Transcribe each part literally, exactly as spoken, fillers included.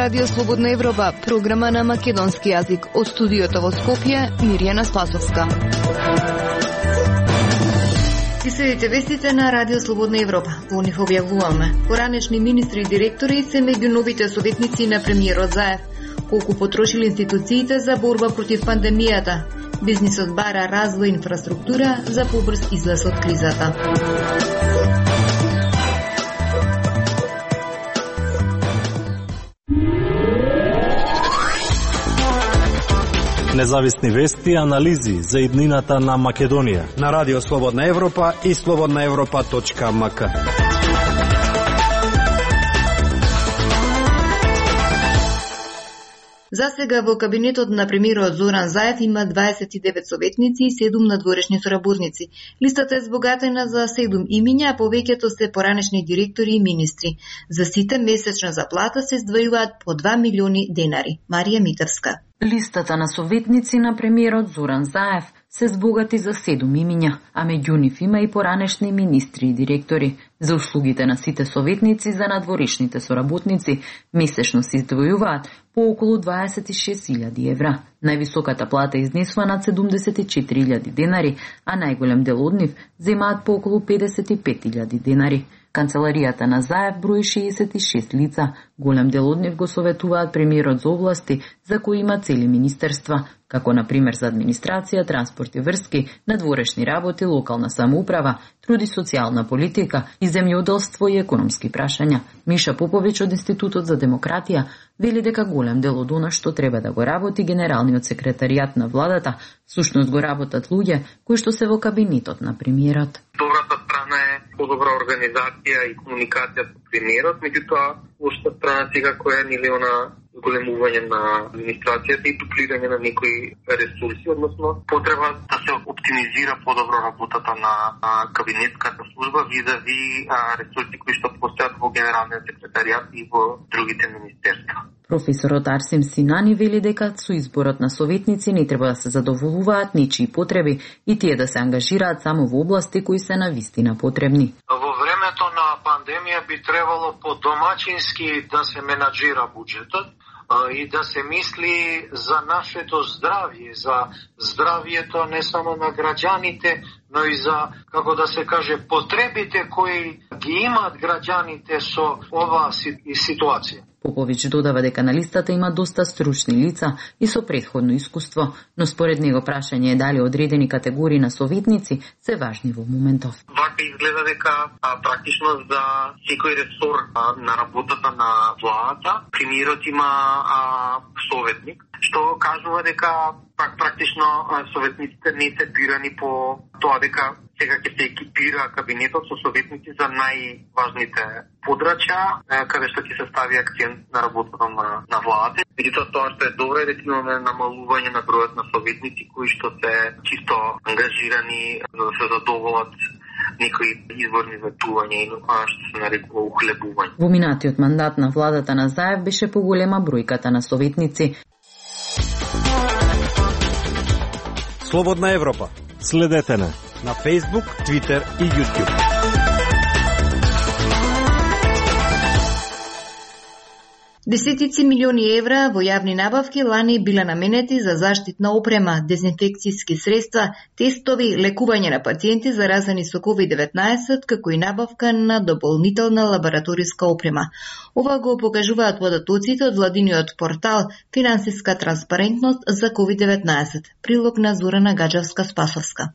Радио Слободна Европа, програма на македонски јазик. Од студиото во Скопје, Мирјана Спасовска. И следите вестите на Радио Слободна Европа. Во нив објавуваме: поранешни министри и директори се меѓу новите советници на премиерот Заев. Колку потрошили институциите за борба против пандемијата. Бизнисот бара развој инфраструктура за побрз излез од кризата. Независни вести и анализи за иднината на Македонија на Радио Слободна Европа и слободна европа точка ем ка. За сега во кабинетот на премиерот Зоран Заев има дваесет и девет советници и седум надворешни соработници. Листата е збогатена за седум имиња, а повеќето се поранешни директори и министри. За сите месечна заплата се издвојуваат по два милиони денари. Марија Митевска. Листата на советници на премиерот Зоран Заев се збогати за седум имиња, а меѓу нив има и поранешни министри и директори. За услугите на сите советници за надворешните соработници месечно се издвојуваат по околу дваесет и шест илјади евра. Највисоката плата изнесува над седумдесет и четири илјади денари, а најголем дел од нив земаат по околу педесет и пет илјади денари. Канцеларијата на Заев брои шеесет и шест лица. Голем дел од нив го советуваат премиерот за области за кои има цели министерства, како на пример за администрација, транспорт и врски, надворешни работи, локална самоуправа, труд и социјална политика и земјоделство и економски прашања. Миша Поповиќ од Институтот за демократија вели дека голем дел од она што треба да го работи генералниот секретаријат на владата, всушност го работат луѓе кои што се во кабинетот на премиерот. Добрата страна е подобра организација и комуникација со премиерот, меѓутоа лошата страна сега која е нели она големување на администрацијата и дуплирање на некои ресурси, односно потреба да се оптимизира подобро работата на кабинетската служба визави ресурси кои што постојат во генералниот секретаријат и во другите министерства. Професорот Арсим Синани вели дека со изборот на советници не треба да се задоволуваат нечии потреби и тие да се ангажираат само во области кои се навистина потребни. Во времето на пандемија би требало подомачински да се менаџира буџетот и да се мисли за нашето здравје, за здравјето не само на граѓаните, но и за, како да се каже, потребите кои ги имаат граѓаните со оваа ситуација. Поповиќ додава дека на листата има доста стручни лица и со претходно искуство, но според него прашање е дали одредени категории на советници се важни во моментов. Вака изгледа дека а, практично за секој ресор а, на работата на владата, премиерот има а, советник, што кажува дека пак практично а, советниците не се бирани по тоа дека сега ќе се екипира кабинетот со советници за најважните подрачја, каде што ќе се стави акцент на работата на, на владата. Меѓутоа тоа што е добро е дека имаме намалување на бројот на советници кои што се чисто ангажирани за да се задоволат некои изворни ветувања и што се нарекува ухлебување. Во минатиот мандат на владата на Заев беше поголема бројката на советници. Слободна Европа. Следете на на Facebook, Twitter и YouTube. Десетици милиони евра во јавни набавки лани биле наменети за заштитна опрема, дезинфекцијски средства, тестови, лекување на пациенти заразени со ковид деветнаесет, како и набавка на дополнителна лабораториска опрема. Ова го покажуваат податоците од владиниот портал Финансиска транспарентност за ковид деветнаесет. Прилог на Зорана Гаджевска-Спасовска.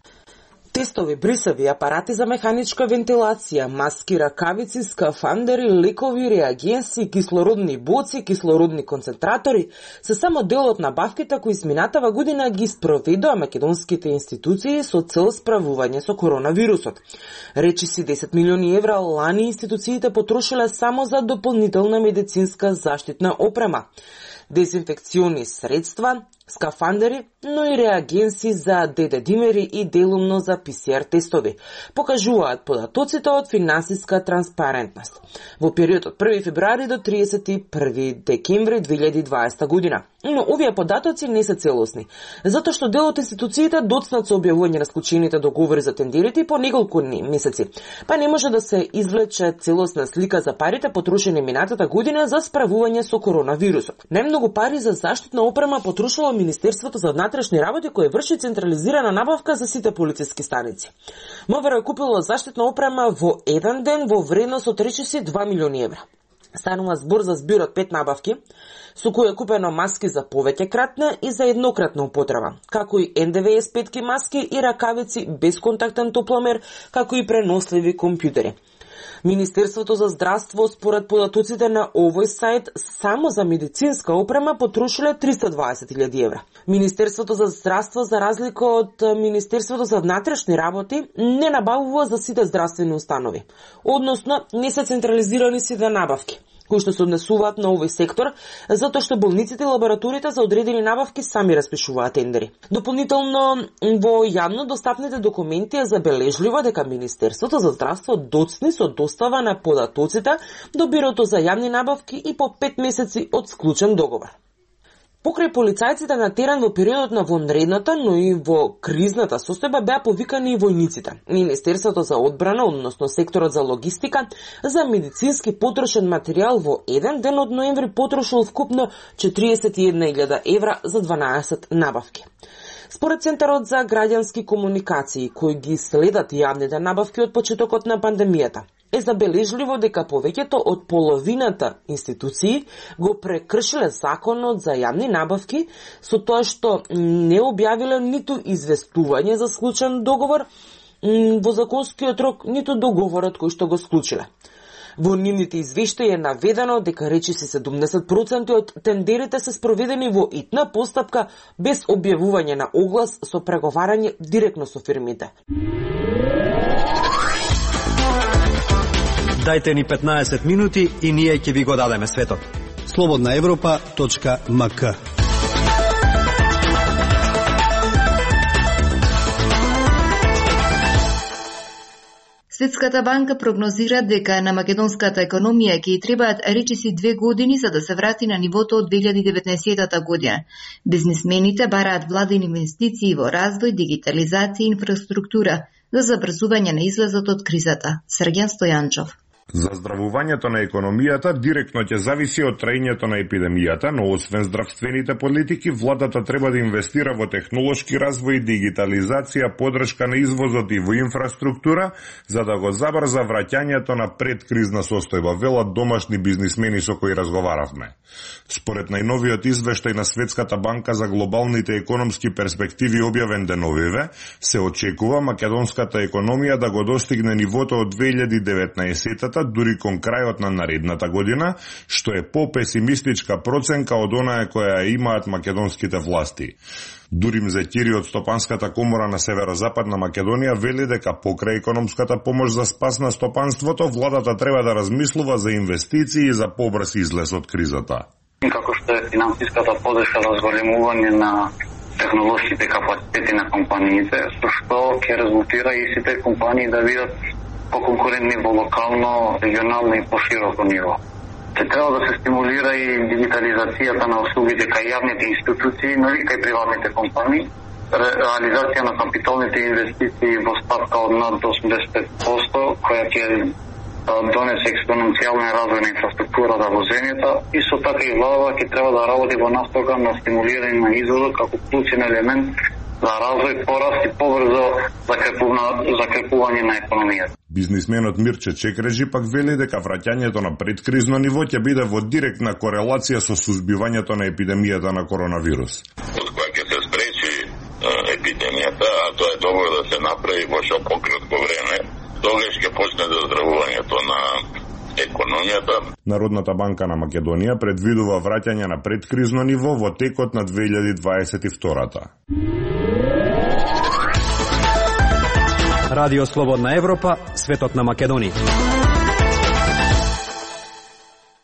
Тестови, брисави, апарати за механичка вентилација, маски, ракавици, скафандери, лекови, реагенси, кислородни боци, кислородни концентратори се само дел од набавките кои изминатава година ги спроведоа македонските институции со цел справување со коронавирусот. Речиси десет милиони евра лани институциите потрошиле само за дополнителна медицинска заштитна опрема, дезинфекциони средства, скафандери, но и реагенси за ДД-димери и делумно за Пи Си Ар тестови, покажуваат податоците од финансиска транспарентност во период од први февруари до триесет и први декември две илјади и дваесета година. Но овие податоци не се целосни, затоа што дел од институциите доцнат со објавување на склучените договори за тендерите по неколку месеци, па не може да се извлече целосна слика за парите потрошени минатата година за справување со коронавирусот. Најмногу пари за заштитна опрема потрошило Министерството за внатрешни работи, кое врши централизирана набавка за сите полициски станици. МВР купило заштитна опрема во еден ден во вредност од речиси два милиони евра. Станува збор за збир од пет набавки, со кои е купено маски за повеќе кратна и за еднократна употреба, како и Ен Де Ве Ес петки маски и ракавици без контактен топломер, како и преносливи компјутери. Министерството за здравство, според податоците на овој сајт, само за медицинска опрема потрошиле триста и дваесет илјади евра. Министерството за здравство, за разлика од Министерството за внатрешни работи, не набавува за сите здравствени установи, односно не се централизирани сите набавки кои што се однесуваат на овој сектор, затоа што болниците и лабораториите за одредени набавки сами распишуваат тендери. Дополнително, во јавно достапните документи е забележливо дека Министерството за здравство доцни со достава на податоците до Бирото за јавни набавки и по пет месеци од склучен договор. Покрај полицајците на терен во периодот на вонредната, но и во кризната состојба беа повикани и војниците. Министерството за одбрана, односно секторот за логистика, за медицински потрошен материјал во еден ден од ноември потрошил вкупно четириесет и една илјада евра за дванаесет набавки. Според Центарот за граѓански комуникации, кои ги следат јавните набавки од почетокот на пандемијата, е забележливо дека повеќето од половината институции го прекршиле законот за јавни набавки со тоа што не објавиле ниту известување за склучен договор во законскиот рок, ниту договорот кој што го склучиле. Во нивните извештаи е наведено дека речиси седумдесет проценти од тендерите се спроведени во итна постапка без објавување на оглас со преговарање директно со фирмите. Дајте ни петнаесет минути и ние ќе ви го дадеме светот. слободна европа точка ем ка. Светската банка прогнозира дека на македонската економија ќе ѝ требаат речиси две години за да се врати на нивото од две илјади и деветнаесета година. Бизнисмените бараат владени инвестиции во развој, дигитализација и инфраструктура за забрзување на излезот од кризата. Сергеј Стојанчов. Заздравувањето на економијата директно ќе зависи од траењето на епидемијата, но освен здравствените политики, владата треба да инвестира во технолошки развој, дигитализација, подршка на извозот и во инфраструктура, за да го забрза враќањето на предкризна состојба, велат домашни бизнисмени со кои разговаравме. Според најновиот извештај на Светската банка за глобалните економски перспективи објавен деновиве, се очекува македонската економија да го достигне нивото од две илјади и деветнаесета, дури кон крајот на наредната година, што е попесимистичка проценка од онаа која имаат македонските власти. Дурим Зекири од Стопанската комора на Северозападна Македонија вели дека покрај економската помош за спас на стопанството, владата треба да размислува за инвестиции и за побрз излез од кризата. Како што е финансиската подршка за зголемување на технолошките капацитети на компаниите, со што ќе резултира и сите компании да бидат по-конкурентни во локално, регионално и по-широко ниво. Се треба да се стимулира и дигитализацијата на услугите кај јавните институции, но и кај приватните компании, реализација на капиталните инвестиции во ставка од над осумдесет и пет проценти, која ќе донесе експоненцијален развој на инфраструктурата во земјата, и со така и владата ќе треба да работи во настока на стимулирање на извозот како клучен елемент за развој, пораст и побрзо закрепување на економијата. Бизнисменот Мирче Чекрежи пак вели дека враќањето на предкризно ниво ќе биде во директна корелација со сузбивањето на епидемијата на коронавирус. Од која ќе се спречи епидемијата, а тоа е добро да се направи во што пократко време, тогаш ќе почне заздравувањето на економијата. Народната банка на Македонија предвидува враќање на предкризно ниво во текот на две илјади дваесет и втора. Радио Слободна Европа, светот на Македонија.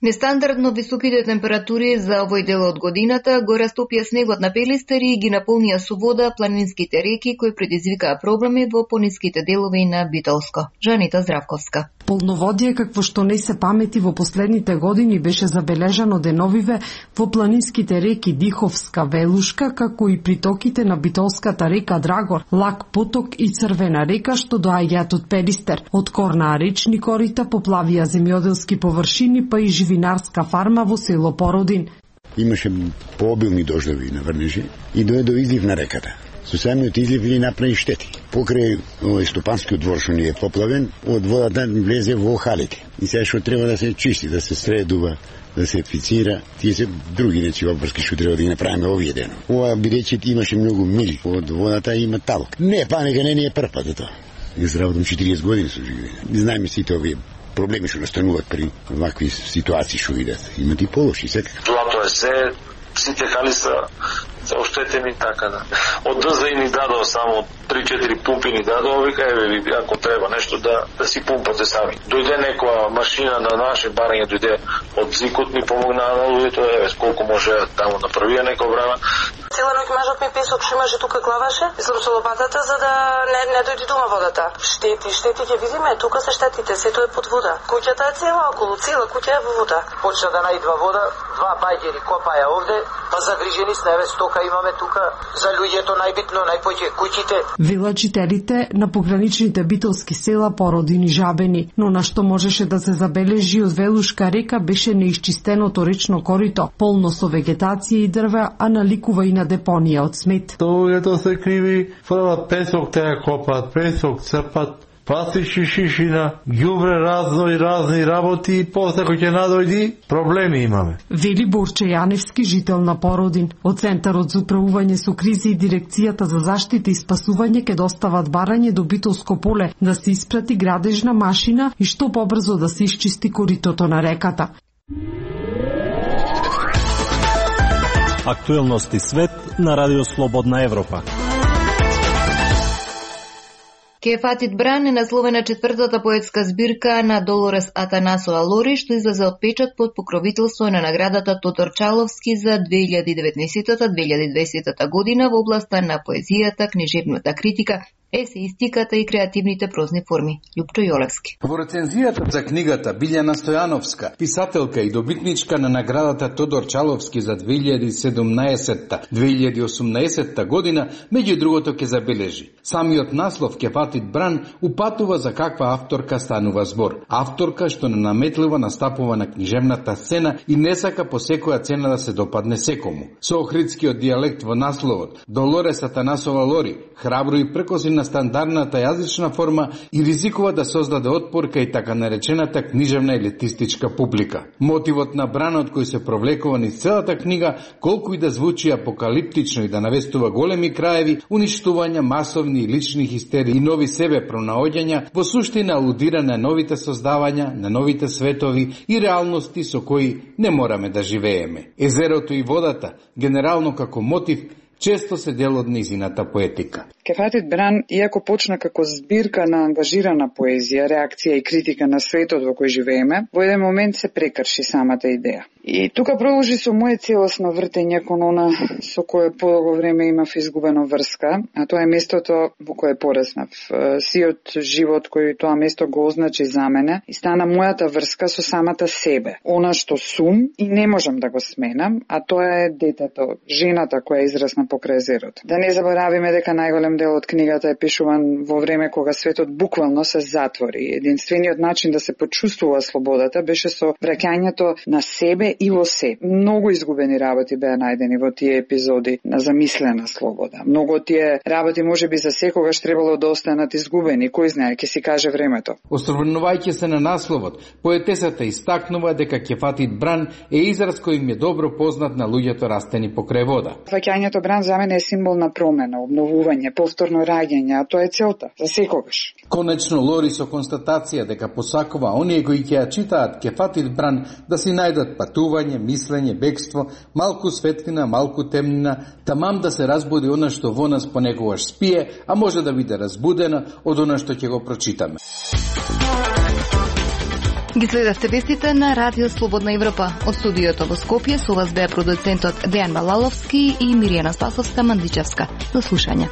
Нестандардно високите температури за овој дел од годината го растопија снегот на Пелистери и ги наполнија со вода планинските реки кои предизвикаа проблеми во пониските делови на Битолско. Жанита Здравковска. Полноводие какво што не се памети во последните години беше забележано деновиве во планинските реки Диховска, Велушка, како и притоките на Битолската река Драгор, Лак поток и Црвена река што доаѓаат од Пелистер. Од корнаа речни корита поплавија земјоделски површини, па и живинарска фарма во село Породин. Имаше пообилни дождови на Врнежи и дое до излив на реката. Со самиот излив ни направи штети. Покрај овој стопанскиот двор што ни е поплавен, од водата влезе во халите. И сега што треба да се чисти, да се средува, да се фицира, тие се други нечи обврски што треба да ги направиме овие ден. Ова бидејќи имаше многу мили од водата, има талк. Не, па нека не ни е прв пат тоа. Јас работам четириесет години со живење. Знаеме сите овие проблеми што настануваат при вакви ситуации што идат. Имат и полоши секако. Злато е се, сите хали се се оштетени така да. Од ДЗ ни дадо само три-четири пумпи ни дадо, вика еве ако треба нешто да да си пумпате сами. Дојде некоја машина на наше барање, дојде од Зикот ни помогнаа на луѓето, еве колку може таму направија некој време. Цела ноќ мажот ми песок што имаше тука клаваше, мислам со лопатата за да не не дојде дома водата. Штети, штети ќе видиме, тука се штетите, сето е под вода. Куќата е цела околу, цела куќа е во вода. Почна да наидва вода, два бајгери копаја овде, па загрижени сме, еве стока имаме тука за луѓето најбитно, најпоќе куќите. Велачителите на пограничните битолски села Породин и Жабени, но на што можеше да се забележи од Велушка река беше неисчистеното речно корито, полно со вегетација и дрва, а наликува и на депонија од смет. Тоа се криви, фрлат песок, те копат, песок црпат, пластични шишина, ѓубре разно и разни работи и после кој ќе надојди, проблеми имаме. Вели Борче Јаневски, жител на Породин. Од Центарот за управување со кризи и Дирекцијата за заштита и спасување ќе достават барање до Битолско поле да се испрати градежна машина и што побрзо да се исчисти коритото на реката. Актуелности свет на Радио Слободна Европа. Кефатит Бран е насловена четвртата поетска збирка на Долорес Атанасова Лори, што излезе од печат под покровителство на наградата Тодор Чаловски за две илјади и деветнаесетта - две илјади и дваесетта година во областа на поезијата, книжевната критика, есеистиката и креативните прозни форми. Љупчо Јолевски. Во рецензијата за книгата Билјана Стојановска, писателка и добитничка на наградата Тодор Чаловски за две илјади и седумнаесетта - две илјади и осумнаесетта година, меѓу другото ќе забележи. Самиот наслов Кефатит Бран упатува за каква авторка станува збор. Авторка што не наметливо настапува на книжевната сцена и не сака по секоја цена да се допадне секому. Со охридскиот дијалект во насловот, Долорес Атанасова Лори храбро и пркоси на стандардната јазична форма и ризикува да создаде отпор кај така наречената книжевна елитистичка публика. Мотивот на Бранот кој се провлекува низ целата книга, колку и да звучи апокалиптично и да навестува големи краеви, уништувања, масовни и лични хистерии и нови себе пронаоѓања, во суштина алудира на новите создавања, на новите светови и реалности со кои не мораме да живееме. Езерото и водата, генерално како мотив, често се дел од низината поетика. Кефатит Бран, иако почна како збирка на ангажирана поезија, реакција и критика на светот во кој живееме, во еден момент се прекрши самата идеја. И тука продолжи со моје целосно вртење кон она со кое подолго време имав изгубено врска, а тоа е местото во кое пораснав. Сиот живот кој тоа место го означи за мене и стана мојата врска со самата себе. Она што сум и не можам да го сменам, а тоа е детето, жената која израсна покрај езерото. Да не заборавиме дека најголем дел од книгата е пишуван во време кога светот буквално се затвори. Единствениот начин да се почувствува слободата беше со враќањето на себе и во се. Многу изгубени работи беа најдени во тие епизоди на замислена слобода. Многу од тие работи можеби за секогаш требало да останат изгубени, кој знае, ќе си каже времето. Осврнувајќи се на насловот, поетесата истакнува дека Кефатит Бран е израз кој им е добро познат на луѓето растени покрај вода. Враќањето Бран за мене е символ на промена, обновување, повторно раѓање, а тоа е целта, за секогаш. Конечно Лори со констатација дека посакува оние кои ќе ја читаат Кефатит Бран да си најдат патување, мислење, бегство, малку светлина, малку темнина, тамам да се разбуди она што во нас понекогаш спие, а може да биде разбудена од она што ќе го прочитаме. Ги следавте вестите на Радио Слободна Европа. Од студиото во Скопје со вас беа продуцентот Дејан Балаловски и Миријана Спасовска Мандичевска. До слушање.